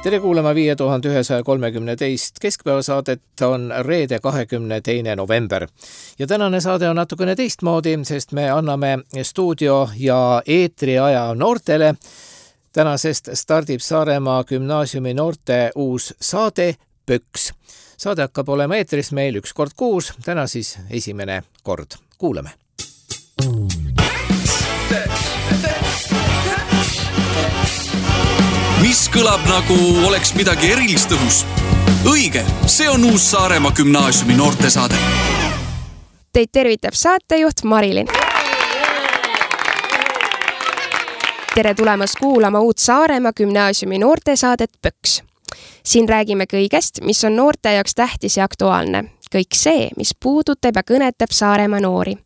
Tere kuulama 5132 keskpäevasaadet, on reede 22. november. Ja tänane saade on natukene teistmoodi, sest me anname stuudio ja eetriaja noortele. Tänasest stardib Saaremaa gümnaasiumi noorte uus saade Pöks. Saade hakkab olema eetris meil 1 kord kuus, täna siis esimene kord. Kuulame! Mis kõlab nagu oleks midagi erilist õhus? Õige, see on uus Saaremaa gümnaasiumi noortesaade. Teid tervitab saatejuht Marilyn. Tere tulemast kuulama uut Saaremaa gümnaasiumi noortesaadet Pöks. Siin räägime kõigest, mis on noorte jaoks tähtis ja aktuaalne. Kõik see, mis puudutab ja kõnetab Saaremaa noori.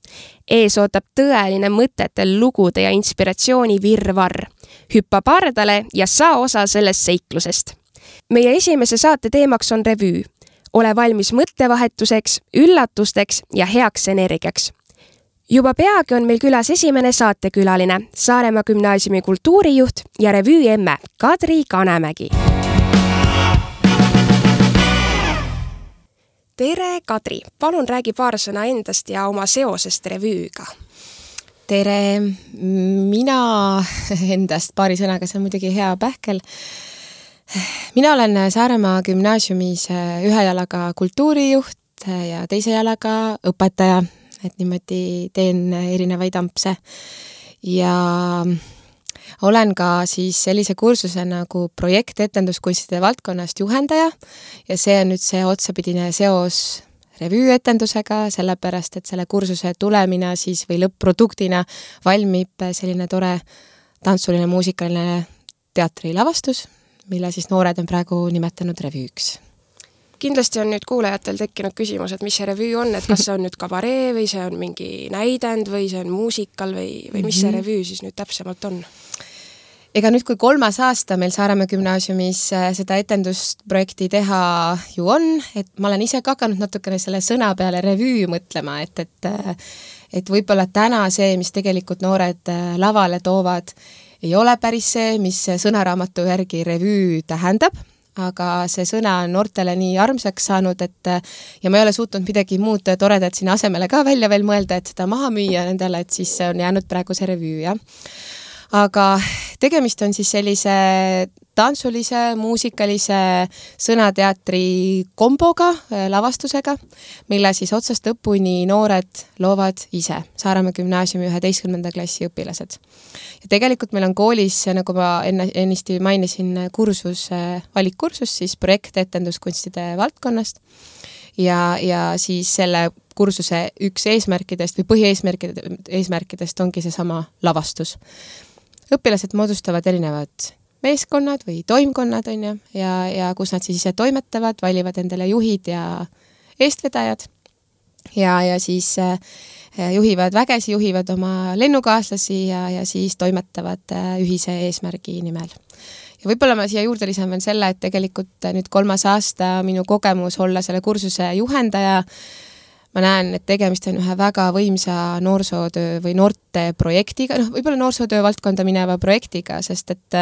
Ees ootab tõeline mõtetel lugude ja inspiratsiooni virvarr. Hüppa pardale ja saa osa sellest seiklusest. Meie esimese saate teemaks on revüü. Ole valmis mõttevahetuseks, üllatusteks ja heaks energiaks. Juba peagi on meil külas esimene saatekülaline, Saaremaa gümnaasiumi kultuurijuht ja revüü emme Kadri Kanemägi. Tere, Kadri! Palun räägi paar sõna endast ja oma seosest revüüga. Tere! Mina endast paari sõnaga, see on muidugi hea pähkel. Mina olen Saaremaa gümnaasiumis ühe jalaga kultuurijuht ja teise jalaga õpetaja, et niimoodi teen erinevaid ampse. Ja olen ka siis sellise kursuse nagu projektetenduskunstide valdkonnast juhendaja ja see on nüüd see otsapidine seos revüüetendusega, sellepärast, et selle kursuse tulemina siis või lõpp-produktina valmib selline tore tantsuline muusikaline teatrilavastus, mille siis noored on praegu nimetanud revüüks. Kindlasti on nüüd kuulajatel tekkinud küsimus, et mis see revüü on, et kas see on nüüd kabaree või see on mingi näidend või see on muusikal või mis see revüü siis nüüd täpsemalt on? Ega nüüd, kui 3. aasta meil Saaremaa gümnaasiumis seda etendusprojekti teha ju on, et ma olen ise ka hakanud natukene selle sõna peale revüü mõtlema, et võib-olla täna see, mis tegelikult noored lavale toovad, ei ole päris see, mis sõnaraamatu järgi revüü tähendab, aga see sõna on noortele nii armsaks saanud, ja ma ei ole suutnud midagi muud toredat sinna asemele ka välja veel mõelda, et seda maha müüa nendele, et siis on jäänud praegu see revüü, jah. Aga tegemist on siis sellise tantsulise, muusikalise sõnateatri komboga, lavastusega, mille siis otsast õpuni noored loovad ise, Saaremaa gümnaasiumi 11. klassi õpilased. Ja tegelikult meil on koolis, nagu ma ennisti mainisin, valikkursus, siis projektetenduskunstide valdkonnast ja siis selle kursuse üks eesmärkidest või põhieesmärkidest ongi see sama lavastus. Õpilased moodustavad erinevad meeskonnad või toimkonnad, on ju, ja kus nad siis ise toimetavad, valivad endale juhid ja eestvedajad ja siis juhivad vägesi, juhivad oma lennukaaslasi ja siis toimetavad ühise eesmärgi nimel. Ja võib-olla ma siia juurde lisan veel selle, et tegelikult nüüd 3. aasta minu kogemus olla selle kursuse juhendaja, ma näen, et tegemist on ühe väga võimsa noorsootöö või noorte projektiga, võib-olla noorsootöö valdkonda mineva projektiga, sest et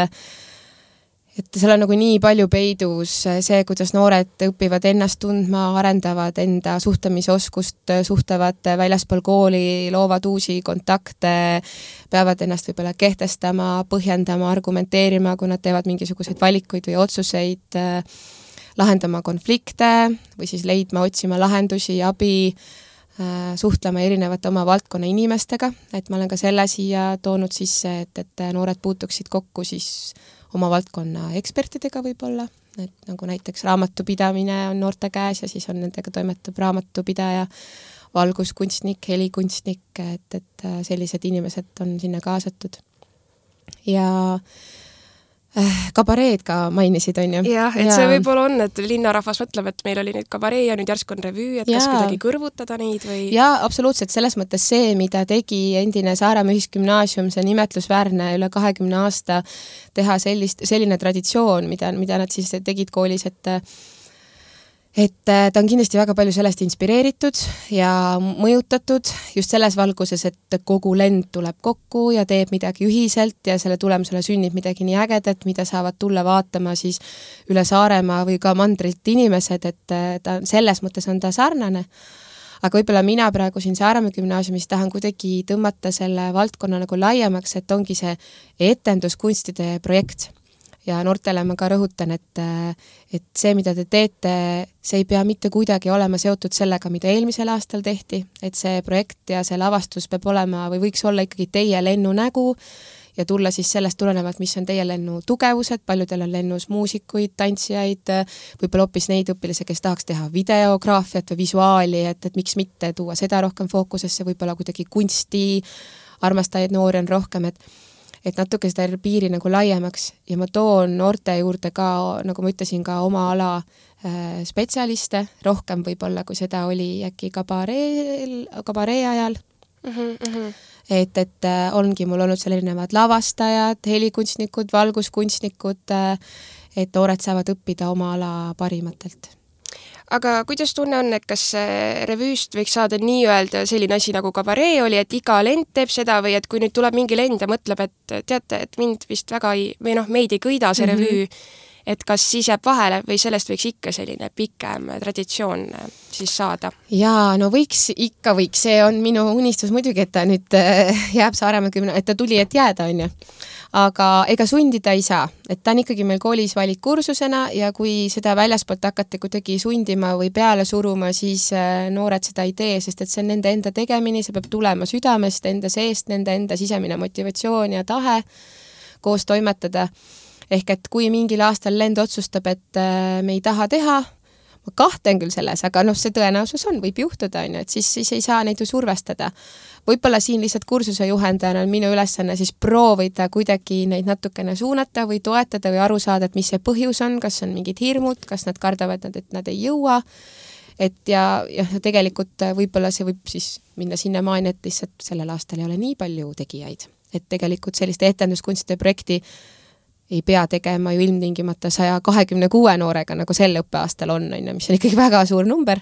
seal on nagu nii palju peidus see, kuidas noored õpivad ennast tundma, arendavad enda suhtlemisoskust, suhtlevad väljaspool kooli, loovad uusi kontakte, peavad ennast võib-olla kehtestama, põhjendama, argumenteerima, kui nad teevad mingisuguseid valikuid või otsuseid, lahendama konflikte või siis leidma, otsima lahendusi, abi, suhtlema erinevate oma valdkonna inimestega, et ma olen ka selle siia toonud sisse, et noored puutuksid kokku siis oma valdkonna ekspertidega võib-olla, et nagu näiteks raamatupidamine on noorte käes ja siis on nendega toimetab raamatupidaja, valguskunstnik, helikunstnik, et sellised inimesed on sinna kaasatud. Ja kabareed ka mainisid, on ju? Jah, et see võib-olla on, et linnarahvas mõtleb, et meil oli nüüd kabaree ja nüüd järsk on revüü, et kas kuidagi kõrvutada neid või? Jaa, absoluutselt, selles mõttes see, mida tegi endine Saaremaa ühisgümnaasium, see nimetlusväärne üle 20 aasta teha selline traditsioon, mida nad siis tegid koolis, et ta on kindlasti väga palju sellest inspireeritud ja mõjutatud just selles valguses, et kogu lend tuleb kokku ja teeb midagi ühiselt ja selle tulemusele sünnib midagi nii ägedat, mida saavad tulla vaatama siis üle Saaremaa või ka mandrilt inimesed, et ta selles mõttes on ta sarnane. Aga võib-olla mina praegu siin Saaremaa gümnaasiumis tahan kuidagi tõmmata selle valdkonna nagu laiemaks, et ongi see etenduskunstide projekt. Ja noortele ma ka rõhutan, et see, mida te teete, see ei pea mitte kuidagi olema seotud sellega, mida eelmisel aastal tehti, et see projekt ja see lavastus peab olema või võiks olla ikkagi teie lennu nägu ja tulla siis sellest tulenevalt, mis on teie lennu tugevused, paljudel on lennus muusikuid, tantsijaid, võib-olla hoopis neid õpilasi, kes tahaks teha videograafiat või visuaali, et miks mitte tuua seda rohkem fookusesse, võib-olla kuidagi kunsti, armastajaid noori on rohkem, et natuke seda piiri nagu laiemaks ja ma toon noorte juurde ka, nagu ma ütlesin, ka oma ala spetsialiste, rohkem võib-olla, kui seda oli äkki kabaree ajal. Et ongi mul olnud seal erinevad lavastajad, helikunstnikud, valguskunstnikud, et noored saavad õppida oma ala parimatelt. Aga kuidas tunne on, et kas revüüst võiks saada nii-öelda selline asi nagu kabaree oli, et iga lend teeb seda või et kui nüüd tuleb mingi lend ja mõtleb, et teate, et mind vist väga meid ei kõida see revüü, et kas siis jääb vahele või sellest võiks ikka selline pikem traditsioon siis saada? Jaa, no võiks, see on minu unistus muidugi, et ta nüüd jääb Saaremaa et ta tuli, et jääda, on ju. Aga ega sundida ei saa, et ta on ikkagi meil koolis valikkursusena ja kui seda väljaspoolt hakata kuidagi sundima või peale suruma, siis noored seda ei tee, sest et see on nende enda tegemine, see peab tulema südamest, enda seest, nende enda sisemine motivatsioon ja tahe koos toimetada. Ehk et kui mingil aastal lend otsustab, et me ei taha teha, ma kahtlen küll selles, aga see tõenäosus on, võib juhtuda, et siis ei saa neid ju survestada. Võib-olla siin lihtsalt kursuse juhendajana on minu ülesanne siis proovida kuidagi neid natukene suunata või toetada või aru saada, et mis see põhjus on, kas on mingid hirmud, kas nad kardavad, et nad ei jõua. Ja tegelikult võib-olla see võib siis minna sinna maani, et lihtsalt sellel aastal ei ole nii palju tegijaid. Et tegelikult selliste etenduskunstide projekti ei pea tegema ju ilmtingimata 126 noorega, nagu sel õppeaastal on, mis on ikkagi väga suur number.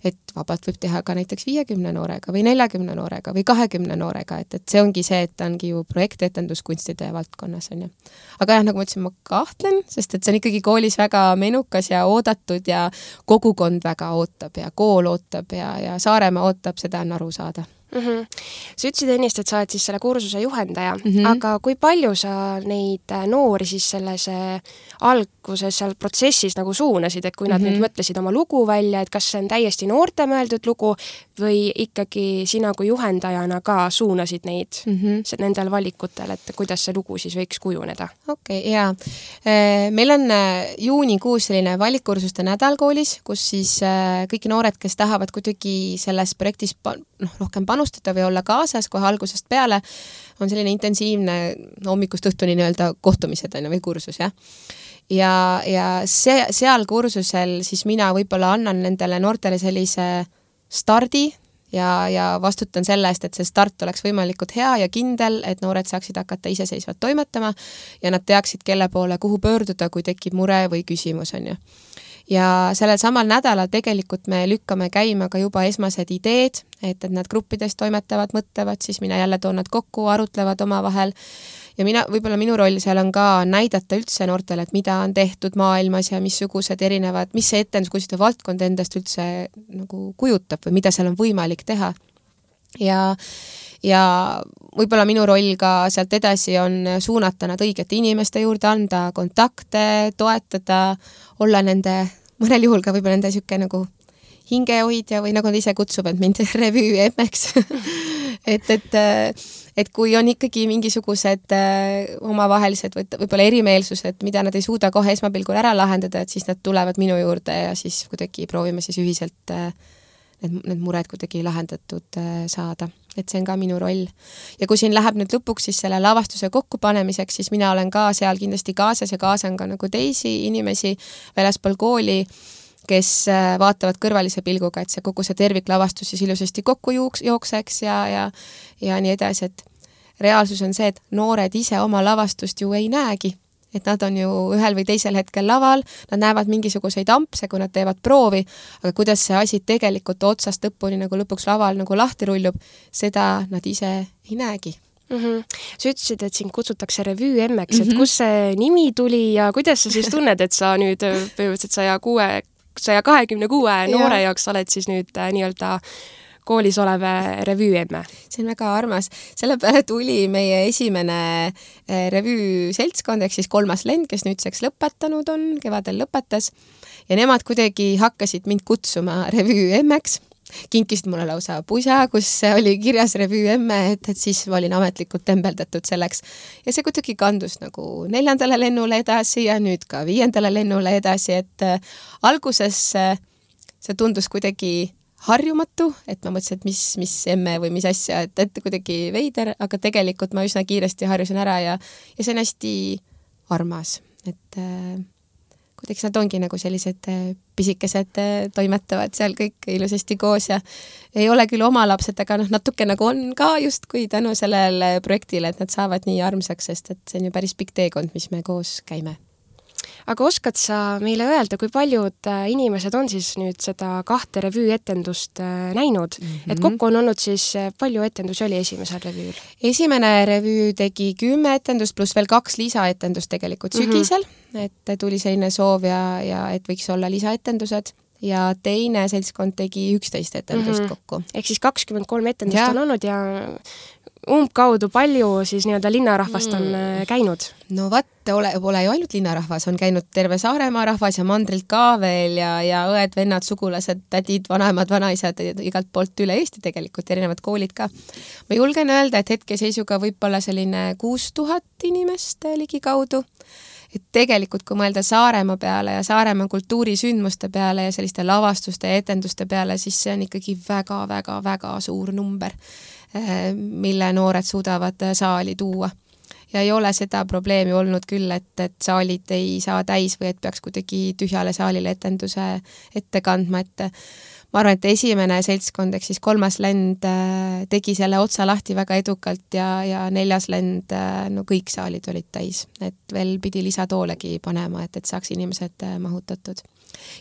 Et vabalt võib teha ka näiteks 50 noorega või 40 noorega või 20 noorega, et see ongi see, et ongi ju projektetenduskunstide valdkonnas, on ju. Aga jah, nagu ma ütlesin, ma kahtlen, sest et see on ikkagi koolis väga menukas ja oodatud ja kogukond väga ootab ja kool ootab ja Saaremaa ootab, seda on aru saada. Sa ütlesid ennist, et sa oled siis selle kursuse juhendaja, aga kui palju sa neid noori siis selles alguses seal protsessis nagu suunasid, et kui nad nüüd mõtlesid oma lugu välja, et kas see on täiesti noorte mõeldud lugu või ikkagi sina kui juhendajana ka suunasid neid nendel valikutel, et kuidas see lugu siis võiks kujuneda? Okei, jaa. Meil on juunikuus selline valikkursuste nädal koolis, kus siis kõik noored, kes tahavad kuidagi selles projektis rohkem panustada või olla kaasas kohe algusest peale, on selline intensiivne hommikust õhtuni nii-öelda kohtumised või kursus, jah. Ja seal kursusel siis mina võib-olla annan nendele noortele sellise stardi ja vastutan selle eest, et see start oleks võimalikult hea ja kindel, et noored saaksid hakata iseseisvalt toimetama ja nad teaksid, kelle poole, kuhu pöörduda, kui tekib mure või küsimus, on ju. Ja sellel samal nädalal tegelikult me lükkame käima ka juba esmased ideed, et nad gruppides toimetavad, mõtlevad, siis mina jälle toon nad kokku, arutlevad omavahel ja võib-olla minu roll seal on ka näidata üldse noortele, et mida on tehtud maailmas ja missugused erinevad, mis see etenduskunstide valdkond endast üldse nagu kujutab või mida seal on võimalik teha. Ja võib-olla minu roll ka sealt edasi on suunata nad õigete inimeste juurde, anda kontakte, toetada, olla nende, mõnel juhul ka võib-olla nende siuke nagu hingehoidja või nagu nad ise kutsuvad mind revüü emmeks. et kui on ikkagi mingisugused omavahelised võib-olla erimeelsused, mida nad ei suuda kohe esmapilgul ära lahendada, et siis nad tulevad minu juurde ja siis kuidagi proovime siis ühiselt need mured kuidagi lahendatud saada. Et see on ka minu roll. Ja kui siin läheb nüüd lõpuks siis selle lavastuse kokkupanemiseks, siis mina olen ka seal kindlasti kaasas ja kaasan ka nagu teisi inimesi väljaspool kooli, kes vaatavad kõrvalise pilguga, et see kogu see terviklavastus siis ilusasti kokku jookseks ja nii edasi, et reaalsus on see, et noored ise oma lavastust ju ei näegi. et nad on ju ühel või teisel hetkel laval, nad näevad mingisuguseid ampse, kui nad teevad proovi, aga kuidas see asi tegelikult otsast lõpuni nagu lõpuks laval nagu lahti rullub, seda nad ise ei näegi. Sa ütlesid, et sind kutsutakse revüü emmeks, et kus see nimi tuli ja kuidas sa siis tunned, et sa nüüd põhimõtteliselt 126 noore jaoks oled siis nüüd nii-öelda koolis olev revüü emme? See on väga armas. Selle peale tuli meie esimene revüü seltskond, ehk siis 3. lend, kes nüüdseks lõpetanud on, kevadel lõpetas. Ja nemad kuidagi hakkasid mind kutsuma revüü emmeks. Kinkisid mulle lausa pusa, kus oli kirjas revüü emme, et siis ma olin ametlikult tembeldatud selleks. Ja see kuidagi kandus nagu 4. lennule edasi ja nüüd ka 5. lennule edasi, et alguses see tundus kuidagi harjumatu, et ma mõtlesin, et mis emme või mis asja, et kuidagi veider, aga tegelikult ma üsna kiiresti harjusin ära ja see on hästi armas, et kuidagi nad ongi nagu sellised pisikesed toimetavad seal kõik ilusasti koos ja ei ole küll oma lapsed, aga natuke nagu on ka justkui tänu sellele projektile, et nad saavad nii armsaks, sest et see on ju päris pikk teekond, mis me koos käime. Aga oskad sa meile öelda, kui paljud inimesed on siis nüüd seda 2 revüü etendust näinud? Et kokku on olnud siis, palju etendusi oli esimesel revüül? Esimene revüü tegi 10 etendust pluss veel 2 lisaetendust tegelikult sügisel, et tuli selline soov ja et võiks olla lisaetendused. Ja teine seltskond tegi 11 etendust kokku. Ehk siis 23 etendust on olnud ja umbkaudu palju siis nii-öelda linnarahvast on käinud? No pole ju ainult linnarahvas, on käinud terve Saaremaa rahvas ja mandrilt ka veel ja õed, vennad, sugulased, tädid, vanaemad, vanaisad, igalt poolt üle Eesti tegelikult, erinevad koolid ka. Ma julgen öelda, et hetkeseisuga võib olla selline 6000 inimest ligikaudu. Et tegelikult, kui mõelda Saaremaa peale ja Saaremaa kultuurisündmuste peale ja selliste lavastuste ja etenduste peale, siis see on ikkagi väga suur number, mille noored suudavad saali tuua. Ja ei ole seda probleemi olnud küll, et saalid ei saa täis või et peaks kuidagi tühjale saalile etenduse ette kandma, et ma arvan, et esimene seltskond, ehk siis 3. lend tegi selle otsa lahti väga edukalt ja 4. lend, no kõik saalid olid täis, et veel pidi lisatoolegi panema, et saaks inimesed mahutatud.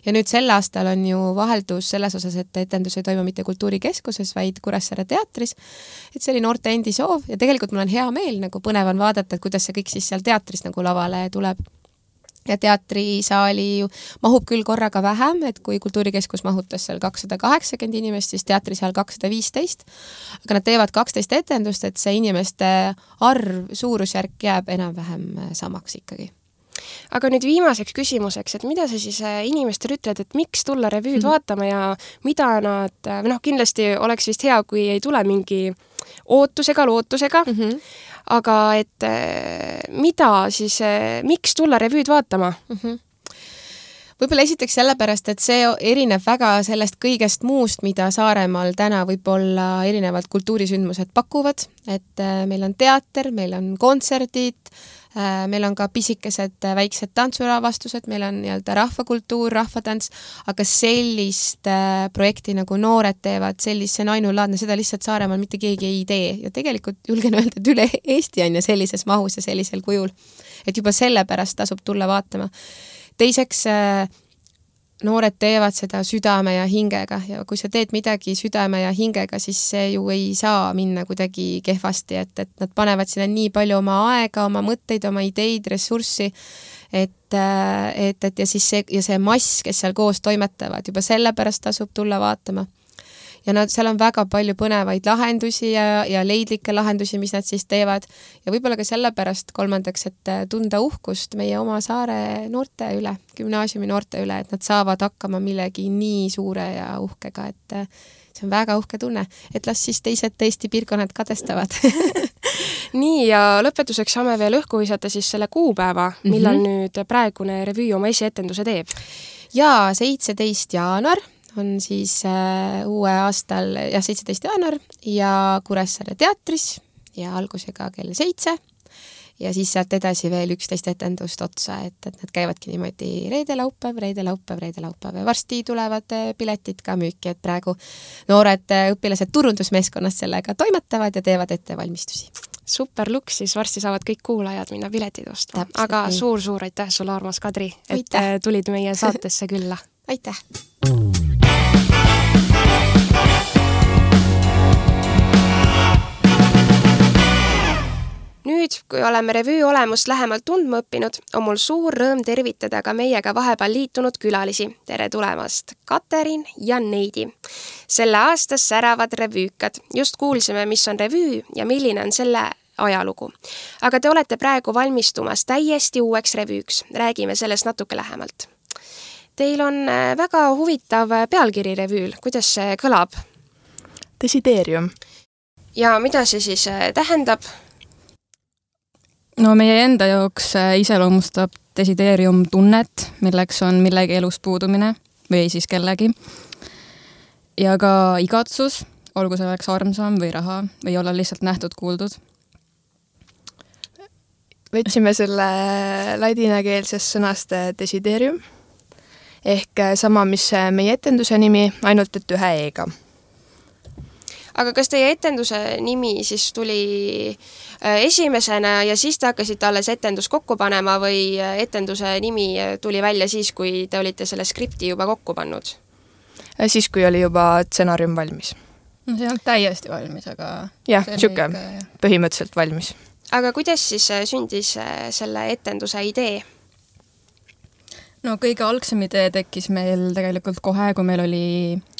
Ja nüüd sel aastal on ju vaheldus selles osas, et etendus ei toimu mitte kultuurikeskuses, vaid Kuressaare teatris. Et see oli noorte endi soov ja tegelikult mul on hea meel, nagu põnev on vaadata, et kuidas see kõik siis seal teatris nagu lavale tuleb. Ja teatrisaali mahub küll korraga vähem, et kui kultuurikeskus mahutas seal 280 inimest, siis teatrisaal 215, aga nad teevad 12 etendust, et see inimeste arv, suurusjärk jääb enam-vähem samaks ikkagi. Aga nüüd viimaseks küsimuseks, et mida sa siis inimestele ütled, et miks tulla revüüd vaatama ja mida nad, kindlasti oleks vist hea, kui ei tule mingi lootusega, aga et mida siis, miks tulla revüüd vaatama? Võib-olla esiteks sellepärast, et see erineb väga sellest kõigest muust, mida Saaremaal täna võib-olla erinevad kultuurisündmused pakuvad, et meil on teater, meil on kontserdid, meil on ka pisikesed väiksed tantsuravastused, meil on nii-öelda rahvakultuur, rahvatants, aga sellist projekti nagu noored teevad, see on ainulaadne, seda lihtsalt Saaremaal mitte keegi ei tee ja tegelikult julgen öelda, et üle Eesti on ja sellises mahus ja sellisel kujul, et juba sellepärast tasub tulla vaatama. Teiseks, noored teevad seda südame ja hingega ja kui sa teed midagi südame ja hingega, siis see ju ei saa minna kuidagi kehvasti, et nad panevad sinna nii palju oma aega, oma mõtteid, oma ideid, ressurssi, et ja siis see mass, kes seal koos toimetavad, juba sellepärast tasub tulla vaatama. Ja seal on väga palju põnevaid lahendusi ja leidlikke lahendusi, mis nad siis teevad. Ja võib-olla ka sellepärast kolmandaks, et tunda uhkust meie oma saare noorte üle, gümnaasiumi noorte üle, et nad saavad hakkama millegi nii suure ja uhkega, et see on väga uhke tunne, et las siis teised Eesti piirkonnad kadestavad. Nii, ja lõpetuseks saame veel õhku visata siis selle kuupäeva, millal nüüd praegune revüü oma esietenduse teeb. Ja 17. jaanuar on siis uue aastal 17. jaanuar ja Kuressaare teatris ja algusega kell 7 ja siis sealt edasi veel 11 etendust otsa, et nad käivadki niimoodi reede-laupäev ja varsti tulevad piletid ka müüki, et praegu noored õpilased turundusmeeskonnast sellega toimetavad ja teevad ettevalmistusi. super luks, siis varsti saavad kõik kuulajad minna piletid ostma. Täpselt aga nii. suur aitäh sulle, armas Kadri, et Aitäh. tulid meie saatesse külla. Aitäh! Nüüd, kui oleme revüü olemust lähemalt tundma õppinud, on mul suur rõõm tervitada ka meiega vahepeal liitunud külalisi. Tere tulemast, Katerin ja Neidi. Selle aastas säravad revüükad. Just kuulsime, mis on revüü ja milline on selle ajalugu. Aga te olete praegu valmistumas täiesti uueks revüüks. Räägime sellest natuke lähemalt. Teil on väga huvitav pealkiri revüül. Kuidas see kõlab? Desideerium. Ja mida see siis tähendab? No meie enda jaoks iseloomustab desideerium tunnet, milleks on millegi elust puudumine või siis kellegi. Ja ka igatsus, olgu see oleks armsam või raha või olla lihtsalt nähtud-kuuldud. Võtsime selle ladinakeelsest sõnast desideerium ehk sama, mis meie etenduse nimi, ainult et ühe E-ga. Aga kas teie etenduse nimi siis tuli esimesena ja siis te hakkasite alles etendus kokku panema või etenduse nimi tuli välja siis, kui te olite selle skripti juba kokku pannud? Siis, kui oli juba stsenaarium valmis. No see on täiesti valmis, aga... Jah, siuke põhimõtteliselt valmis. Aga kuidas siis sündis selle etenduse idee? No kõige algsem idee tekkis meil tegelikult kohe, kui meil oli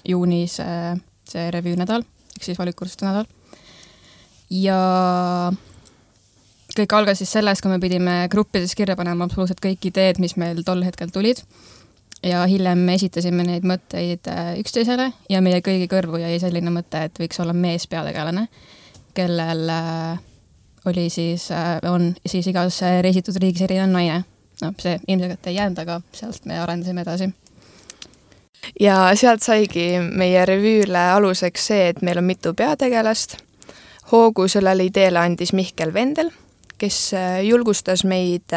juunis see revüünädal, ehk siis valikkursuste nädal. Ja kõik algas siis sellest, kui me pidime gruppides kirja panema absoluutselt kõik ideed, mis meil tol hetkel tulid. Ja hiljem esitasime neid mõtteid üksteisele ja meie kõigi kõrvu jäi selline mõte, et võiks olla mees peategelane, kellel oli siis, on siis igas reisitud riigis erinev naine. No, see ilmselt ei jäänud, aga sealt me arendasime edasi. Ja sealt saigi meie revüüle aluseks see, et meil on mitu peategelast. Hoogu sellele ideele andis Mihkel Vendel, kes julgustas meid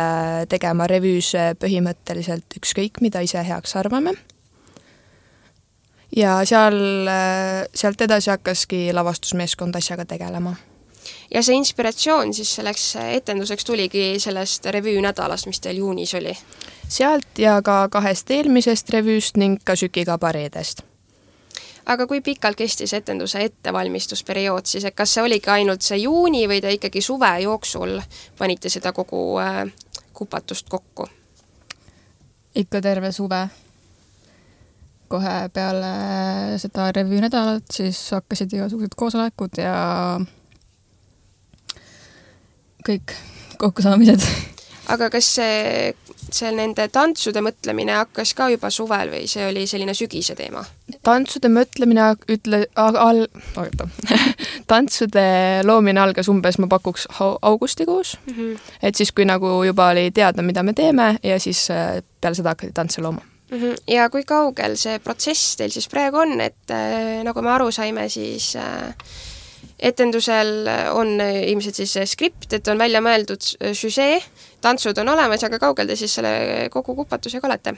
tegema revüüs põhimõtteliselt ükskõik, mida ise heaks arvame. Ja sealt edasi hakkaski lavastusmeeskond asjaga tegelema. Ja see inspiratsioon siis selleks etenduseks tuligi sellest revüü nädalast, mis teil juunis oli? Sealt ja ka 2 eelmisest revüüst ning ka Süki kabareedest. Aga kui pikalt kestis etenduse ettevalmistusperiood siis, et kas see oligi ainult see juuni või te ikkagi suve jooksul panite seda kogu kupatust kokku? Ikka terve suve. Kohe peale seda revüü nädalat siis hakkasid igasugused koosolekud ja kõik kokkusaamised. Aga kas see nende tantsude mõtlemine hakkas ka juba suvel või see oli selline sügise teema? Tantsude mõtlemine tantsude loomine algas umbes, ma pakuks augustikuus. Et siis, kui nagu juba oli teada, mida me teeme ja siis peale seda hakkati tantse looma. Ja kui kaugel see protsess teil siis praegu on, et nagu me aru saime, siis etendusel on ilmselt siis skript, et on välja mõeldud süžee, tantsud on olemas, aga kaugel te siis selle kogu kupatusega olete?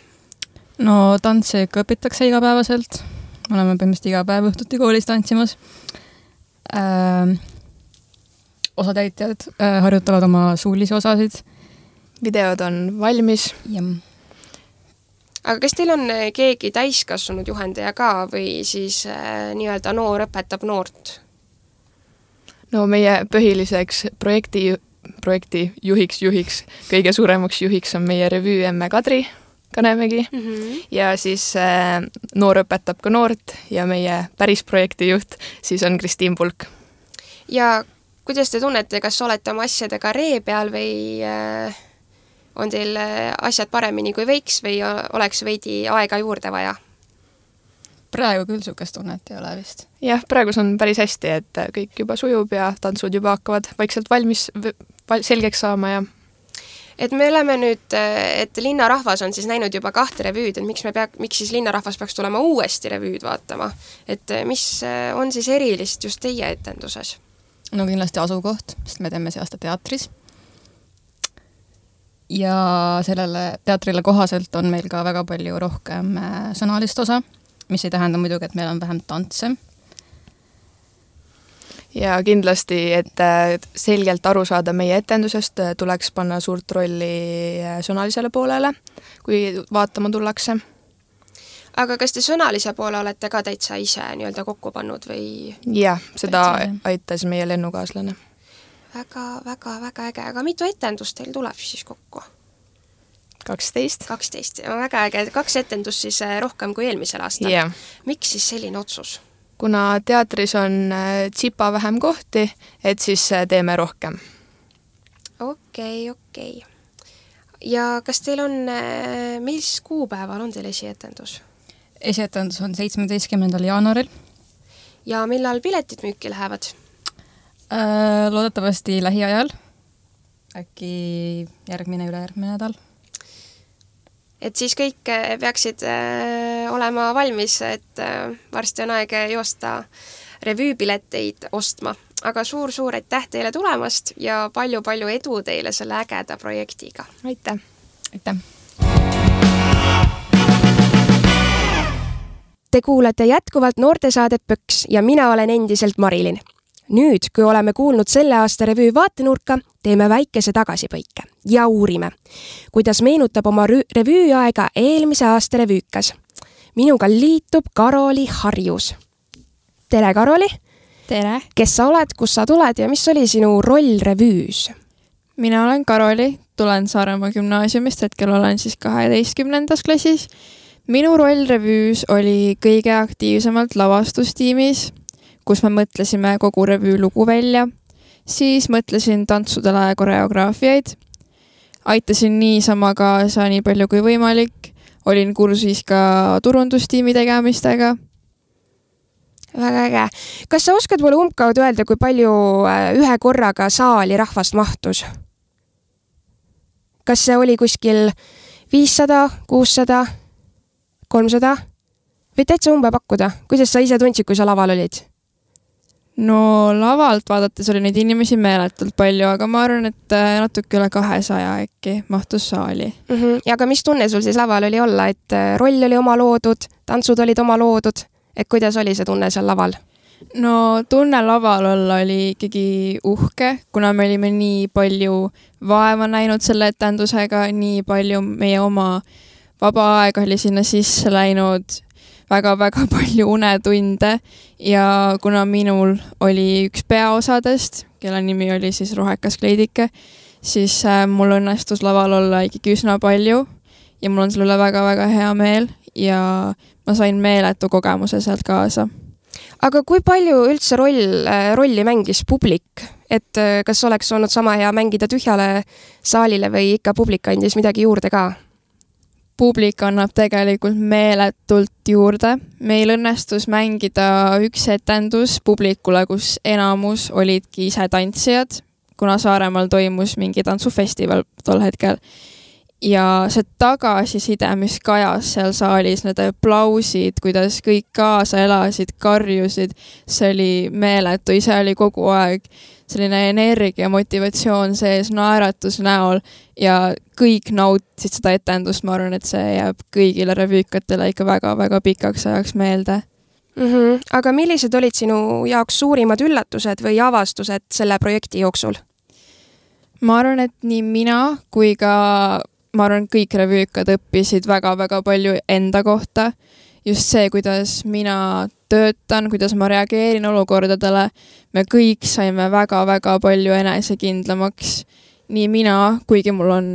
No tantse ikka õpitakse igapäevaselt. Oleme põhimõtteliselt iga päev õhtuti koolis tantsimas. Osatäitjad harjutavad oma suulisi osasid. Videod on valmis. Ja. Aga kas teil on keegi täiskasvanud juhendaja ka või siis nii-öelda noor õpetab noort? No meie põhiliseks projekti juhiks, kõige suuremaks juhiks on meie revüü emme Kadri Kanemägi ja siis noor õpetab ka noort ja meie päris projektijuht siis on Kristiin Pulk. Ja kuidas te tunnete, kas olete oma asjadega ree peal või on teil asjad paremini kui võiks või oleks veidi aega juurde vaja? Praegu küll sukest tunnet ei ole vist. Jah, praegu on päris hästi, et kõik juba sujub ja tantsud juba hakkavad vaikselt valmis selgeks saama. Ja... Et me oleme nüüd, et linnarahvas on siis näinud juba 2 revüüd, et miks siis linnarahvas peaks tulema uuesti revüüd vaatama? Et mis on siis erilist just teie etenduses? No kindlasti asukoht, sest me teeme see aasta teatris. Ja sellele teatrile kohaselt on meil ka väga palju rohkem sõnalist osa, mis ei tähenda muidugi, et meil on vähem tantse. ja kindlasti, et selgelt aru saada meie etendusest, tuleks panna suurt rolli sõnalisele poolele, kui vaatama tullakse. Aga kas te sõnalise poole olete ka täitsa ise nii-öelda kokku pannud või? Jah, seda aitas meie lennukaaslane. Väga äge, aga mitu etendust teil tuleb siis kokku? 12. 12, väga äge, 2 etendust siis rohkem kui eelmisel aastal. Yeah. Miks siis selline otsus? Kuna teatris on tsipa vähem kohti, et siis teeme rohkem. Okei. Ja kas teil on, mis kuupäeval on teil esietendus? Esietendus on 17. jaanuaril. Ja millal piletid müüki lähevad? Loodetavasti lähiajal. Äkki ülejärgmine nädal. Et siis kõik peaksid olema valmis, et varsti on aeg joosta revüüpileteid ostma. Aga suur aitäh teile tulemast ja palju edu teile selle ägeda projektiga. Aitäh! Te kuulete jätkuvalt noortesaadet Pöks ja mina olen endiselt Marilyn. Nüüd, kui oleme kuulnud selle aasta revüü vaatenurka, teeme väikese tagasipõike ja uurime, kuidas meenutab oma revüüaega eelmise aasta revüükas. Minuga liitub Karoli Harjus. Tere, Karoli! Tere! Kes sa oled, kus sa tuled ja mis oli sinu roll revüüs? Mina olen Karoli, tulen Saaremaa gümnaasiumist, hetkel olen siis 12. klassis. Minu roll revüüs oli kõige aktiivsemalt lavastustiimis, kus me mõtlesime kogu revüü lugu välja, siis mõtlesin tantsudele koreograafiaid, aitasin niisama kaasa nii palju kui võimalik, olin kursis ka turundustiimi tegemistega. Väga äge. Kas sa oskad mulle umbkaudu öelda, kui palju ühe korraga saali rahvast mahtus? Kas see oli kuskil 500, 600, 300? Või täitsa umbe pakkuda? Kuidas sa ise tundsid, kui sa laval olid? No lavalt vaadates oli neid inimesi meeletult palju, aga ma arvan, et natuke üle 200 äkki mahtus saali. Ja aga mis tunne sul siis laval oli olla, et roll oli oma loodud, tantsud olid oma loodud, et kuidas oli see tunne seal laval? No tunne laval olla oli ikkagi uhke, kuna me olime nii palju vaeva näinud selle etendusega, nii palju meie oma vaba aega oli sinna sisse läinud, väga palju unetunde ja kuna minul oli üks peaosadest, kelle nimi oli siis Rohekas kleidike, siis mul õnnestus laval olla ikkagi üsna palju ja mul on selle väga hea meel ja ma sain meeletu kogemuse sealt kaasa. Aga kui palju üldse rolli mängis publik? Et kas oleks olnud sama hea mängida tühjale saalile või ikka publik andis midagi juurde ka? Publik annab tegelikult meeletult juurde. Meil õnnestus mängida üks etendus publikule, kus enamus olidki ise tantsijad, kuna Saaremaal toimus mingi tantsufestival tol hetkel. Ja see tagasiside, mis kajas seal saalis, need aplausid, kuidas kõik kaasa elasid, karjusid, see oli meeletu, ise oli kogu aeg selline energia, motivatsioon sees, naeratus näol ja kõik nautisid seda etendust, ma arvan, et see jääb kõigile revüükatele ikka väga pikaks ajaks meelde. Aga millised olid sinu jaoks suurimad üllatused või avastused selle projekti jooksul? Ma arvan, et nii mina kui ka kõik revüükad õppisid väga palju enda kohta. Just see, kuidas mina töötan, kuidas ma reageerin olukordadele, me kõik saime väga palju enesekindlamaks. Nii mina, kuigi mul on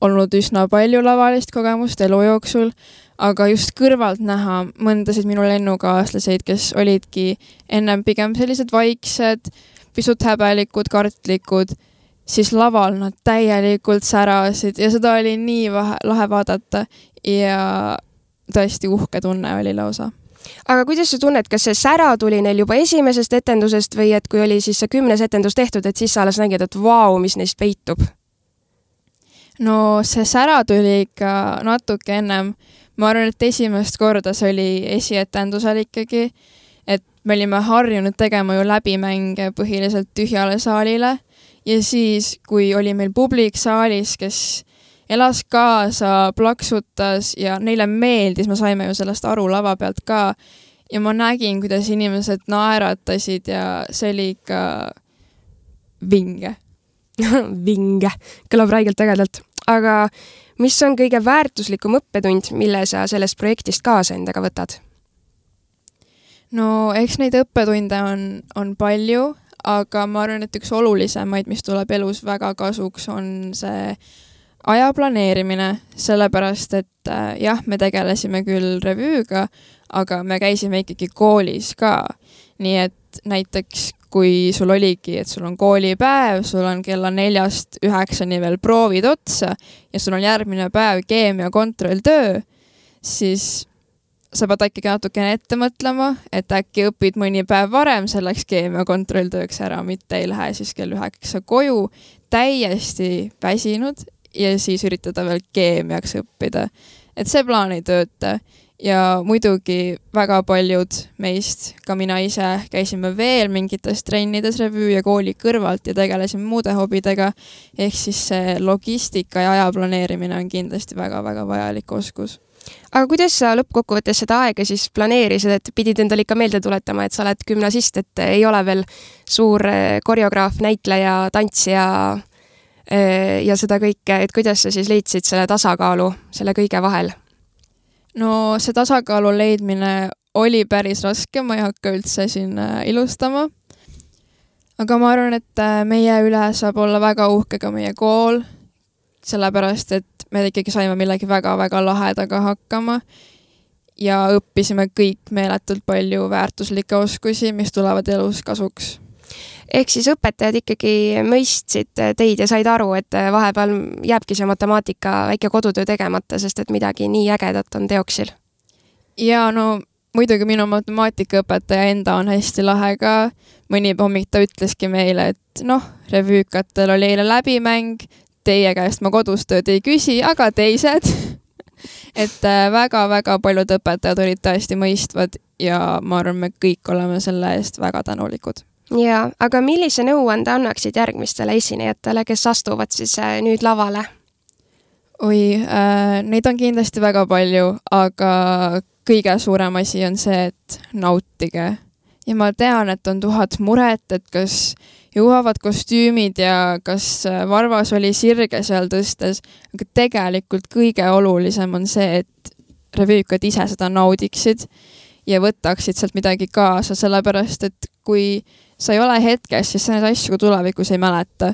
olnud üsna palju lavalist kogemust elu jooksul, aga just kõrvalt näha mõndasid minu lennukaaslaseid, kes olidki ennem pigem sellised vaiksed, pisut häbelikud, kartlikud, siis laval nad täielikult särasid ja seda oli nii lahe vaadata ja tõesti uhke tunne oli lausa. Aga kuidas sa tunned, kas see sära tuli neil juba esimesest etendusest või et kui oli siis see 10. etendus tehtud, et siis sa alles nägid, et vau, mis neist peitub? No see sära tuli ikka natuke ennem. Ma arvan, et esimest korda see oli esietendusel ikkagi, et me olime harjunud tegema ju läbimänge põhiliselt tühjale saalile ja siis, kui oli meil publik saalis, kes elas kaasa, plaksutas ja neile meeldis, me saime ju sellest aru lava pealt ka ja ma nägin, kuidas inimesed naeratasid ja see oli ikka vinge. Vinge, kõlab räigelt ägedalt. Aga mis on kõige väärtuslikum õppetund, mille sa sellest projektist kaasa endaga võtad? No eks neid õppetunde on palju, aga ma arvan, et üks olulisemaid, mis tuleb elus väga kasuks, on see aja planeerimine, sellepärast et jah, me tegelesime küll revüüga, aga me käisime ikkagi koolis ka. Nii et näiteks kui sul oligi, et sul on koolipäev, sul on kella 4-9 veel proovid otsa ja sul on järgmine päev keemia kontrolltöö, siis sa pead ikkagi natukene ette mõtlema, et äkki õpid mõni päev varem selleks keemia kontrolltööks ära, mitte ei lähe siis kell 9 koju täiesti väsinud ja siis üritada veel keemiaks õppida. Et see plaan ei tööta ja muidugi väga paljud meist, ka mina ise, käisime veel mingites trennides revüü ja kooli kõrvalt ja tegelesime muude hobidega, ehk siis see logistika ja aja planeerimine on kindlasti väga-väga vajalik oskus. Aga kuidas sa lõppkokkuvõttes seda aega siis planeerisid, et pidid endale ikka meelde tuletama, et sa oled gümnasist, et ei ole veel suur koreograaf, näitleja, tantsija ja seda kõike, et kuidas sa siis leidsid selle tasakaalu selle kõige vahel? No see tasakaalu leidmine oli päris raske, ma ei hakka üldse siin ilustama. Aga ma arvan, et meie üle saab olla väga uhke ka meie kool, sellepärast, et me ikkagi saime millegi väga-väga lahedaga hakkama ja õppisime kõik meeletult palju väärtuslikke oskusi, mis tulevad elus kasuks. Ehk siis õpetajad ikkagi mõistsid teid ja said aru, et vahepeal jääbki see matemaatika väike kodutöö tegemata, sest et midagi nii ägedat on teoksil. Ja no muidugi minu matemaatikaõpetaja enda on hästi lahe ka. Mõni hommik ta ütleski meile, et revüükatel oli eile läbimäng, teie käest ma kodustööd ei küsi, aga teised. Et väga-väga paljud õpetajad olid tõesti mõistvad ja ma arvan, me kõik oleme selle eest väga tänulikud. Ja, aga millise nõuande annaksid järgmistele esinejatele, kes astuvad siis nüüd lavale? Oi, neid on kindlasti väga palju, aga kõige suurem asi on see, et nautige. Ja ma tean, et on 1000 muret, et kas jõuavad kostüümid ja kas varvas oli sirge seal tõstes, aga tegelikult kõige olulisem on see, et revüükad ise seda naudiksid ja võtaksid sealt midagi kaasa, sellepärast, et kui sa ei ole hetkes, siis sa neid asju tulevikus ei mäleta.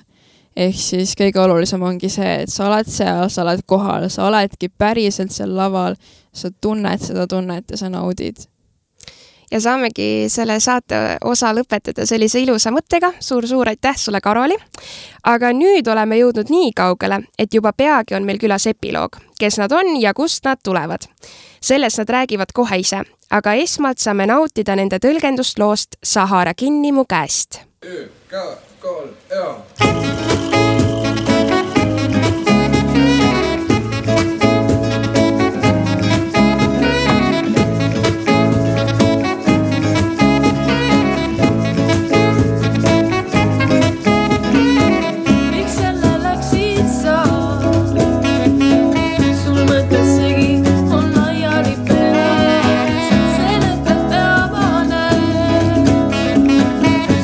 Ehk siis kõige olulisem ongi see, et sa oled seal, sa oled kohal, sa oledki päriselt seal laval, sa tunned seda tunnet ja sa naudid. Ja saamegi selle saate osa lõpetada sellise ilusa mõttega. Suur aitäh sulle, Karoli. Aga nüüd oleme jõudnud nii kaugele, et juba peagi on meil külas epiloog, kes nad on ja kust nad tulevad. Sellest nad räägivad kohe ise, aga esmalt saame nautida nende tõlgendust loost Sahara kinni mu käest.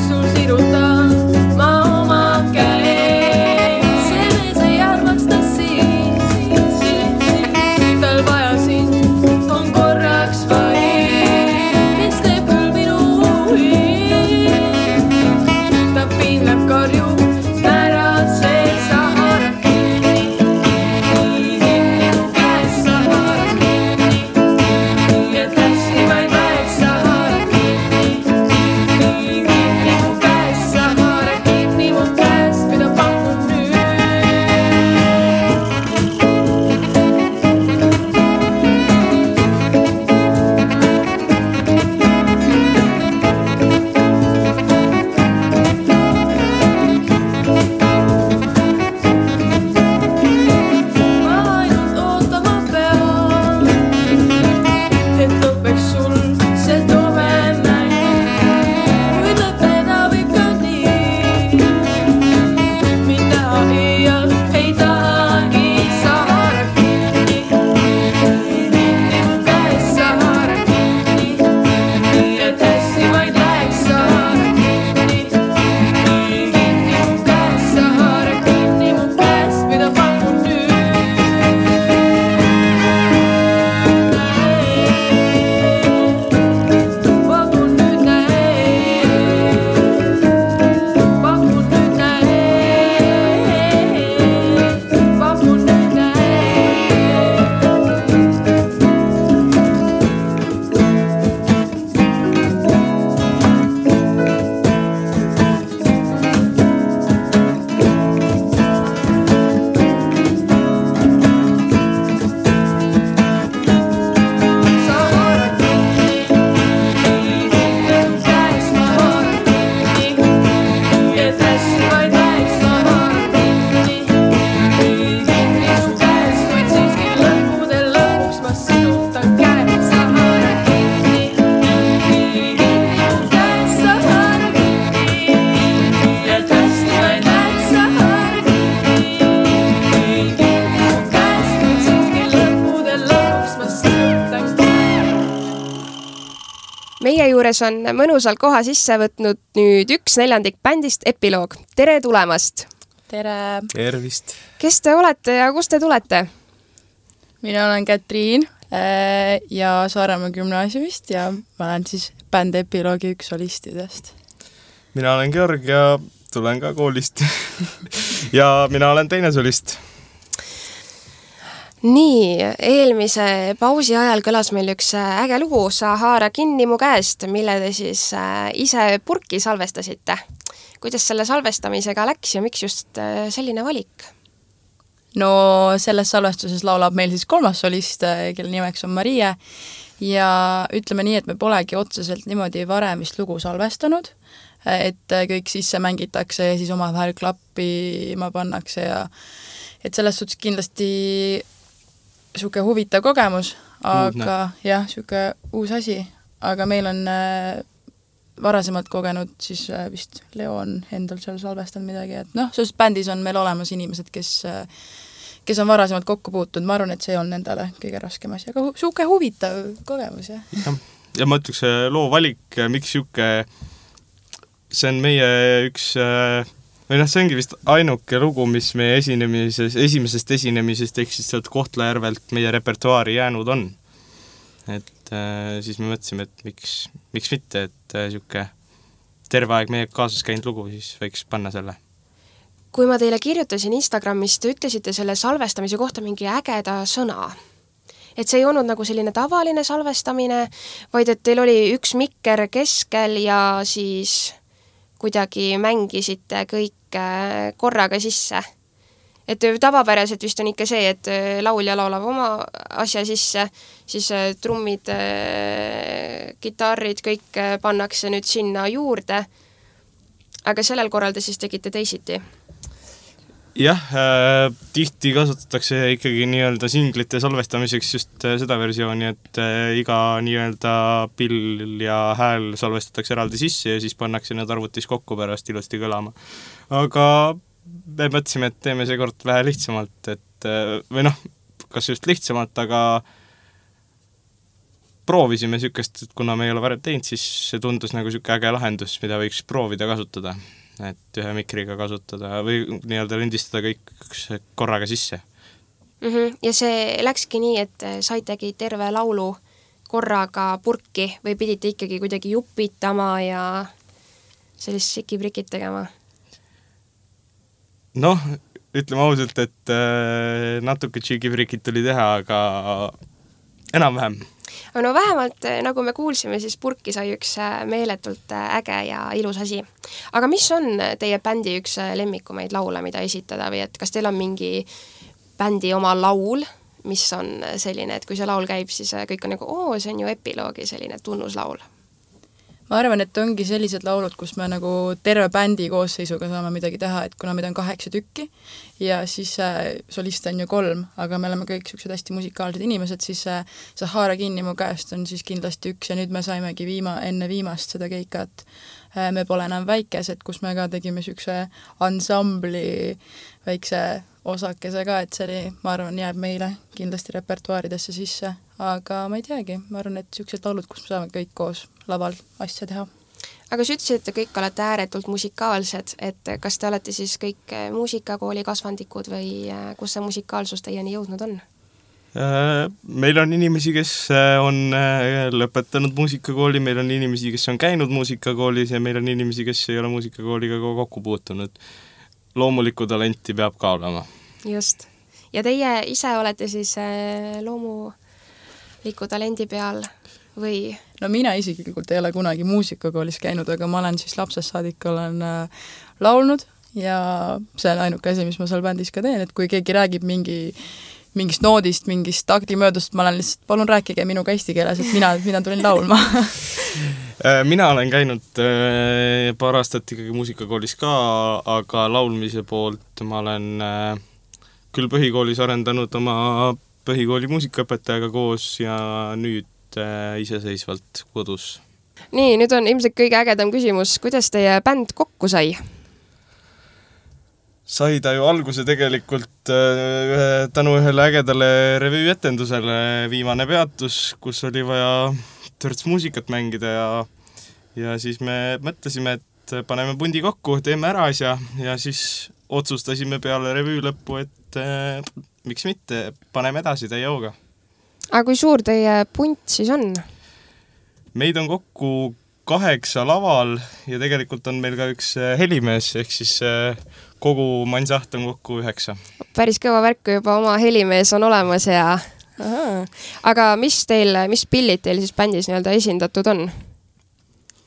Sul sirutan ma oma käe meie juures on mõnusalt koha sisse võtnud nüüd 1/4 bändist Epiloog. Tere tulemast! Tere! Tervist! Kes te olete ja kust te tulete? Mina olen Katriin ja Saaremaa gümnaasiumist ja ma olen siis bänd Epiloogi üks solistidest. Mina olen Georg ja tulen ka koolist ja mina olen teine solist. Nii, eelmise pausi ajal kõlas meil üks äge lugu Sa haara kinni mu käest, mille te siis ise purki salvestasite. Kuidas selle salvestamisega läks ja miks just selline valik? No selles salvestuses laulab meil siis 3. solist, kelle nimeks on Marie ja ütleme nii, et me polegi otseselt niimoodi varem vist lugu salvestanud, et kõik sisse mängitakse ja siis omavahel klappima pannakse ja et selles suhtes kindlasti siuke huvitav kogemus, aga jah, siuke uus asi, aga meil on varasemalt kogenud siis vist Leo on endal seal salvestanud midagi, et selles bändis on meil olemas inimesed, kes on varasemalt kokku puutunud, ma arvan, et see on endale kõige raskem asi, aga siuke huvitav kogemus, jah. Ja ma ütleks, loo valik, miks siuke, see on meie üks või see ongi vist ainuke lugu, mis meie esimesest esinemisest ehk siis sealt Kohtla-Järvelt meie repertuaari jäänud on. Et siis me mõtlesime, et miks mitte, et siuke terve aeg meie kaasas käinud lugu, siis võiks panna selle. Kui ma teile kirjutasin Instagramis, te ütlesite selle salvestamise kohta mingi ägeda sõna. Et see ei olnud nagu selline tavaline salvestamine, vaid et teil oli üks mikker keskel ja siis kuidagi mängisite kõik korraga sisse. Et tavapäraselt vist on ikka see, et laulja laulab oma asja sisse, siis trummid, kitarrid, kõik pannakse nüüd sinna juurde. Aga sellel korral te siis tegite teisiti? Jah, tihti kasutatakse ikkagi nii-öelda singlite salvestamiseks just seda versiooni, et iga nii-öelda pill ja hääl salvestatakse eraldi sisse ja siis pannakse need arvutis kokku pärast ilusti kõlama. Aga me mõtlesime, et teeme see kord vähe lihtsamalt, et, või kas just lihtsamalt, aga proovisime siukest, et kuna me ei ole varem teinud, siis see tundus nagu siuke äge lahendus, mida võiks proovida kasutada. Et ühe mikriga kasutada või nii-öelda lindistada kõik korraga sisse. Ja see läkski nii, et saitegi terve laulu korraga purki või pidite ikkagi kuidagi jupitama ja sellist sikiprikit tegema? Ütleme ausalt, et natuke sikiprikit tuli teha, aga enam-vähem. No vähemalt, nagu me kuulsime, siis purki sai üks meeletult äge ja ilus asi. Aga mis on teie bändi üks lemmikumaid laule, mida esitada või et kas teil on mingi bändi oma laul, mis on selline, et kui see laul käib, siis kõik on nagu, see on ju Epiloogi selline tunnuslaul? Ma arvan, et ongi sellised laulud, kus me nagu terve bändi koosseisuga saame midagi teha, et kuna meid on 8 tükki ja siis soliste on ju 3, aga me oleme kõik sellised hästi musikaalsed inimesed, siis Sa haara kinni mu käest on siis kindlasti üks ja nüüd me saimegi enne viimast seda keikat Me pole enam väikesed, kus me ka tegime selline ansambli väikse osakese ka, et see oli, ma arvan, jääb meile kindlasti repertuaaridesse sisse, aga ma ei teagi, ma arvan, et sellised laulud, kus me saame kõik koos laval asja teha. Aga sa ütlesid, et kõik olete ääretult musikaalsed, et kas te olete siis kõik muusikakooli kasvandikud või kus see musikaalsus teieni jõudnud on? Meil on inimesi, kes on lõpetanud muusikakooli, meil on inimesi, kes on käinud muusikakoolis ja meil on inimesi, kes ei ole muusikakooliga kokku puutunud. Loomulikku talenti peab ka olema. Just. Ja teie ise olete siis loomuliku talendi peal või? No mina isiklikult ei ole kunagi muusikakoolis käinud, aga ma olen siis lapsest saadik olen laulnud ja see on ainuke asi, mis ma seal bändis ka teen, et kui keegi räägib mingist noodist, mingist taktimöödust, ma olen lihtsalt, palun rääkige minuga eesti keeles, et mina tulin laulma. Mina olen käinud paar aastat ikkagi muusikakoolis ka, aga laulmise poolt ma olen küll põhikoolis arendanud oma põhikooli muusikaõpetajaga koos ja nüüd iseseisvalt kodus. Nii, nüüd on ilmselt kõige ägedam küsimus, kuidas teie bänd kokku sai? sai ta ju alguse tegelikult tänu ühele ägedale revüüetendusele Viimane peatus, kus oli vaja törts muusikat mängida ja siis me mõtlesime, et paneme pundi kokku, teeme ära asja ja siis otsustasime peale revüü lõppu, et miks mitte, paneme edasi täie hooga. Aga kui suur teie punt siis on? Meid on kokku 8 laval ja tegelikult on meil ka üks helimees, ehk siis kogu mansaht on kokku 9. Päris kõva värk, kui juba oma helimees on olemas ja... Aha. Aga mis pillid teil siis bändis nii-öelda esindatud on?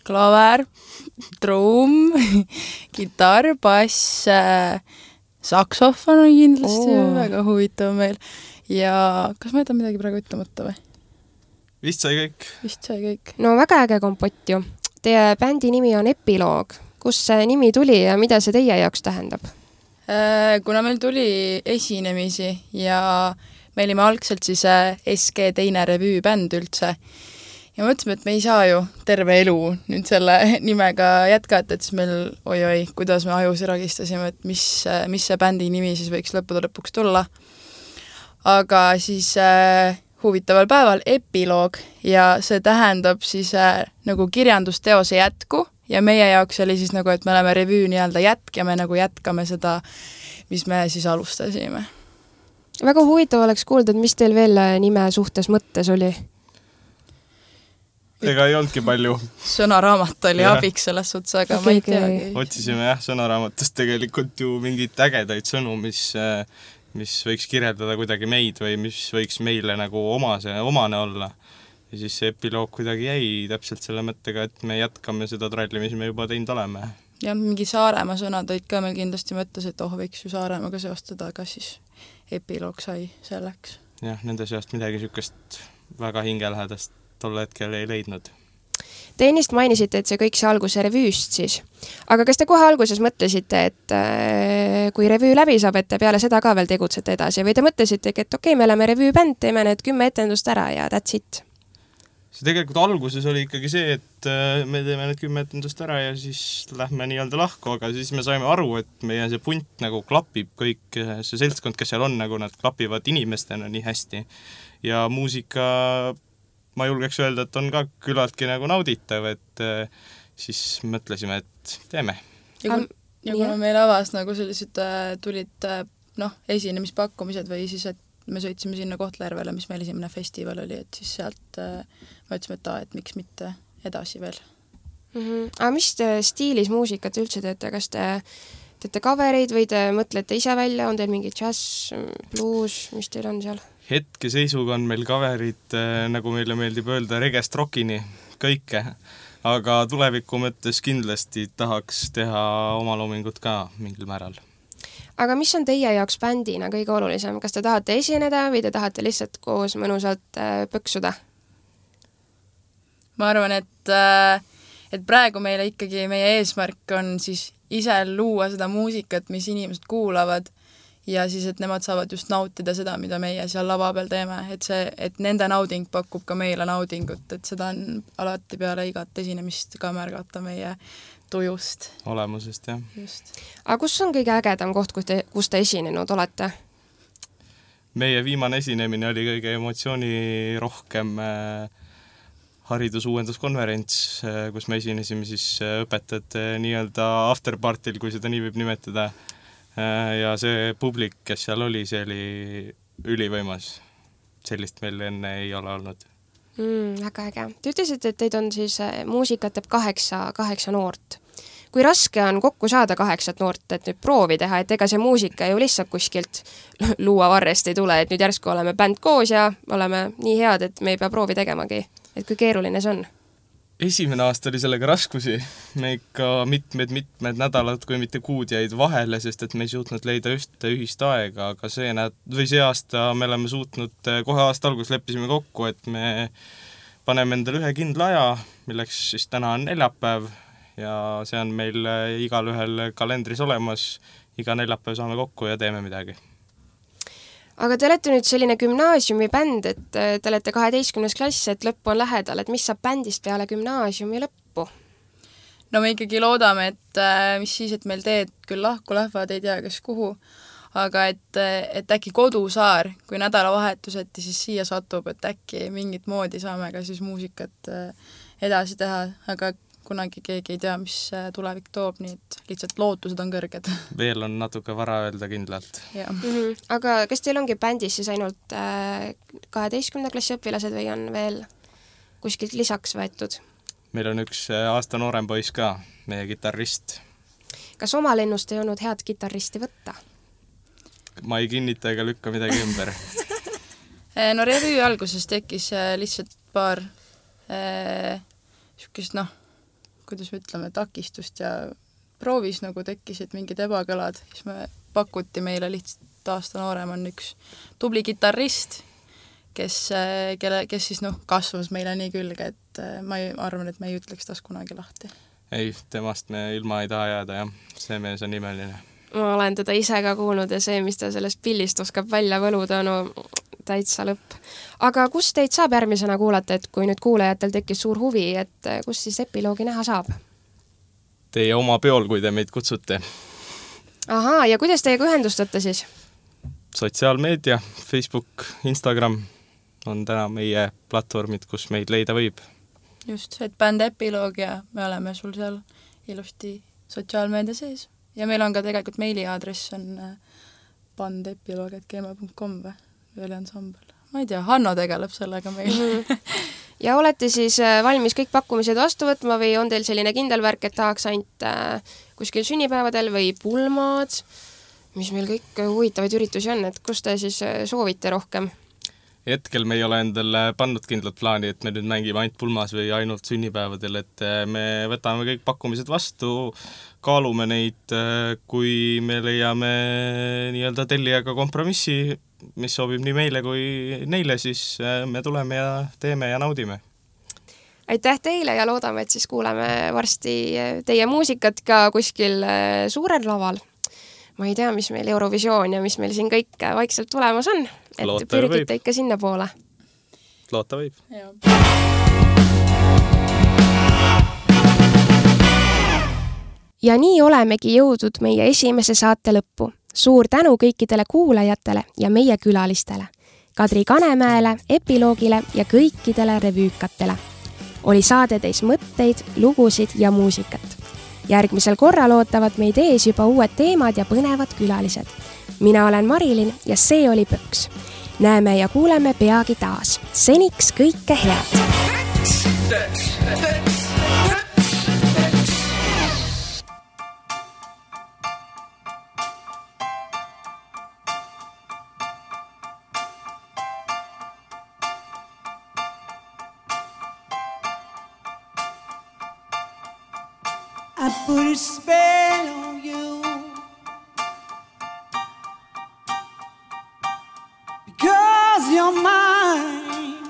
Klaver, trumm, kitarr, bass, saksofon on kindlasti väga huvitav meil ja kas ma jätan midagi praegu ütlemata või? Vist sai kõik. No väga äge kompott ju. Teie bändi nimi on Epiloog. Kust see nimi tuli ja mida see teie jaoks tähendab? Kuna meil tuli esinemisi ja me olime algselt siis SG teine revüübänd üldse ja mõtlesime, et me ei saa ju terve elu nüüd selle nimega jätkata, et siis meil kuidas me ajus ragistasime, et mis see bändi nimi siis võiks lõppude lõpuks tulla. Aga siis huvitaval päeval Epiloog ja see tähendab siis nagu kirjandusteose jätku ja meie jaoks oli siis nagu, et me oleme revüü nii-öelda jätk ja me nagu jätkame seda, mis me siis alustasime. Väga huvitav oleks kuulda, et mis teil veel nime suhtes mõttes oli? Ega ei olnudki palju. Sõnaraamat oli abiks selles suhtes, aga ma ei teagi. Otsisime sõnaraamatust tegelikult ju mingit ägedaid sõnu, mis võiks kirjeldada kuidagi meid või mis võiks meile nagu omane olla. Ja siis see Epiloog kuidagi jäi täpselt selle mõttega, et me jätkame seda tralli, mis me juba teinud oleme. Ja mingi Saaremaa sõnad olid ka meil kindlasti mõttes, et võiks ju Saaremaaga seostada, aga siis Epiloog sai selleks. Jah, nende seast midagi sükest väga hingelähedast tol hetkel ei leidnud. Te ennist mainisite, et see kõik see alguse revüüst siis. Aga kas te kohe alguses mõtlesite, et kui revüü läbi saab, et te peale seda ka veel tegutsete edasi või te mõtlesite, et okei, me oleme revüübänd, teeme need 10 etendust ära ja that's it? See tegelikult alguses oli ikkagi see, et me teeme need 10 etendust ära ja siis lähme nii-öelda lahku, aga siis me saime aru, et meie see punt nagu klapib kõik, see seltskond, kes seal on, nagu nad klapivad inimestena nii hästi ja muusika ma julgeks öelda, et on ka külaltki nagu nauditav, et siis mõtlesime, et teeme. Ja kuna meil avas nagu sellised tulid esinemispakkumised või siis, et me sõitsime sinna Kohtla-Järvele, mis meil esimene festival oli, et siis sealt me ütlesime, et miks mitte edasi veel. Aga mis te stiilis muusikat üldse teete? Kas te teete covereid või te mõtlete ise välja? On teil mingi jazz, blues, mis teil on seal? Hetkeseisuga on meil coverid, nagu meile meeldib öelda, regest rockini, kõike. Aga tuleviku mõttes kindlasti tahaks teha oma loomingut ka mingil määral. Aga mis on teie jaoks bändina kõige olulisem? Kas te tahate esineda või te tahate lihtsalt koos mõnusalt pöksuda? Ma arvan, et praegu meile ikkagi meie eesmärk on siis ise luua seda muusikat, mis inimesed kuulavad ja siis, et nemad saavad just nautida seda, mida meie seal lava peal teeme, et nende nauding pakub ka meile naudingut, et seda on alati peale igat esinemist ka märgata meie tujust. Olemusest, jah. Just. Aga kus on kõige ägedam koht, kus te esinenud olete? Meie viimane esinemine oli kõige emotsioonirohkem haridusuuenduskonverents, kus me esinesime siis õpetajate nii-öelda afterpartil, kui seda nii võib nimetada. Ja see publik, kes seal oli, see oli ülivõimas. Sellist meil enne ei ole olnud. Väga äge. Te ütlesite, et teid on siis muusikat teeb 8 noort. Kui raske on kokku saada 8 noort, et nüüd proovi teha, et ega see muusika ju lihtsalt kuskilt luua varrest ei tule, et nüüd järsku oleme bänd koos ja oleme nii head, et me ei pea proovi tegemagi. Et kui keeruline see on? Esimene aasta oli sellega raskusi. Me ikka mitmed nädalad, kui mitte kuud jäid vahele, sest et me ei suutnud leida ühist aega, aga see aasta me oleme suutnud, kohe aasta alguses leppisime kokku, et me paneme endale ühe kindla aja, milleks siis täna on neljapäev ja see on meil igal ühel kalendris olemas. Iga neljapäev saame kokku ja teeme midagi. Aga te olete nüüd selline gümnaasiumibänd, et te olete 12. klass, et lõpp on lähedal, et mis saab bändist peale gümnaasiumi lõppu? no me ikkagi loodame, et mis siis, et meil teed küll lahku lähevad, ei tea, kes kuhu, aga et äkki kodusaar, kui nädalavahetuseti siis siia satub, et äkki mingit moodi saame ka siis muusikat edasi teha, aga kunagi keegi ei tea, mis tulevik toob, nii et lihtsalt lootused on kõrged. Veel on natuke vara öelda kindlalt. Aga kas teil ongi bändis siis ainult 12. klassi õpilased või on veel kuskilt lisaks võetud? Meil on üks aasta noorem poiss ka, meie kitarrist. Kas oma lennust ei olnud head kitarristi võtta? Ma ei kinnita ega lükka midagi ümber. No revüü alguses tekkis lihtsalt paar niisugust, kuidas me ütleme, takistust ja proovis nagu tekkisid mingid ebakõlad, siis me pakuti meile lihtsalt aasta noorem on üks tubli kitarrist, kes siis kasvas meile nii külge, et ma arvan, et me ei ütleks tast kunagi lahti. Ei, temast me ilma ei taha jääda, jah. See mees on imeline. Ma olen teda ise ka kuulnud ja see, mis ta sellest pillist oskab välja võluda, täitsa lõpp. Aga kus teid saab järgmisena kuulata, et kui nüüd kuulajatel tekkis suur huvi, et kus siis epiloogi näha saab? Teie oma peol, kui te meid kutsute. Ahaa, ja kuidas teiega ühendustate siis? Sotsiaalmeedia, Facebook, Instagram on täna meie platvormid, kus meid leida võib. Just, et bänd Epiloog ja me oleme sul seal ilusti sotsiaalmeedia sees. Ja meil on ka tegelikult meiliaadress on bandepiloog@gmail.com või ansambel. Ma ei tea, Hanno tegeleb sellega meil. Ja olete siis valmis kõik pakkumised vastu võtma või on teil selline kindel värk, et tahaks ainult kuskil sünnipäevadel või pulmad, mis meil kõik huvitavaid üritusi on, et kus te siis soovite rohkem? Hetkel me ei ole endale pannud kindlat plaani, et me nüüd mängime ainult pulmas või ainult sünnipäevadel, et me võtame kõik pakkumised vastu, kaalume neid, kui me leiame nii-öelda tellijaga kompromissi, mis sobib nii meile kui neile, siis me tuleme ja teeme ja naudime. Aitäh teile ja loodame, et siis kuuleme varsti teie muusikat ka kuskil suurel laval. Ma ei tea, mis meil Eurovisioon ja mis meil siin kõik vaikselt tulemas on, et loota pürgite ikka sinna poole. Loota võib. Ja nii olemegi jõudnud meie esimese saate lõppu. Suur tänu kõikidele kuulajatele ja meie külalistele, Kadri Kanemäele, Epiloogile ja kõikidele revüükatele. Oli saade teis mõtteid, lugusid ja muusikat. Järgmisel korral ootavad meid ees juba uued teemad ja põnevad külalised. Mina olen Marilyn ja see oli Pöks. Näeme ja kuuleme peagi taas. Seniks kõike head! I put a spell on you because you're mine.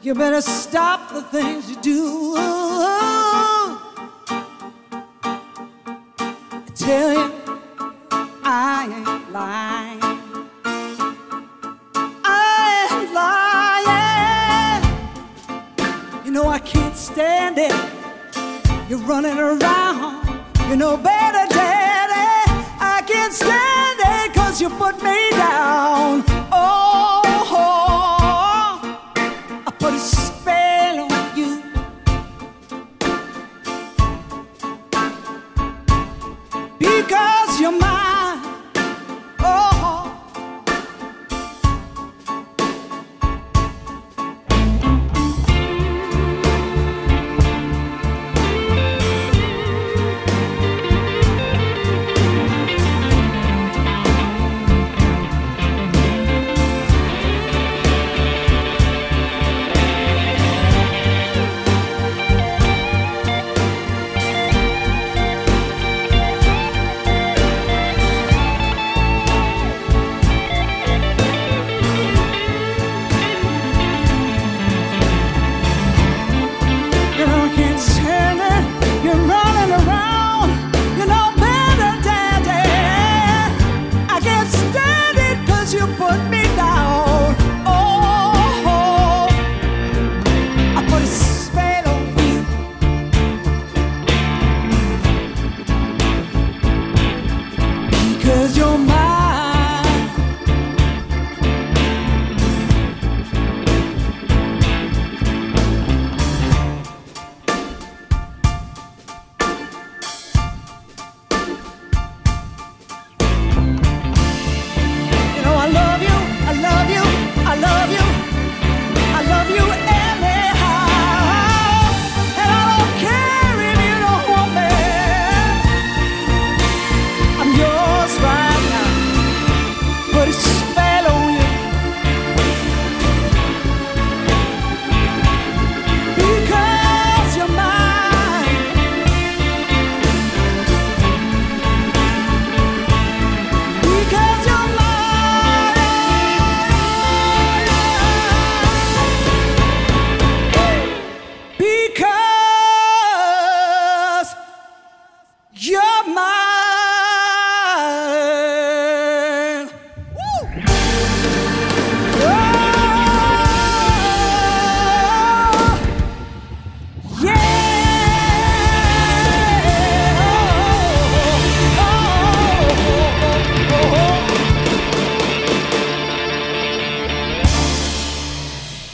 You better stop the things you do. I tell you, I ain't lying. I can't stand it. You're running around. You know better, Daddy. I can't stand it 'cause you put me down. Oh, I put a spell on you. Because you're mine. Oh.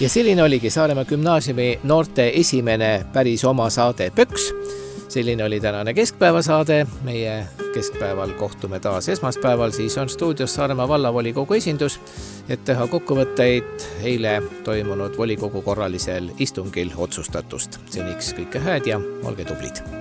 Ja selline oligi Saaremaa gümnaasiumi noorte esimene päris oma saade Pöks. Selline oli tänane keskpäevasaade. Meie keskpäeval kohtume taas esmaspäeval, siis on stuudios Saaremaa vallavolikogu esindus, et teha kokkuvõtteid eile toimunud volikogu korralisel istungil otsustatust. Seniks kõike hääd ja olge tublid!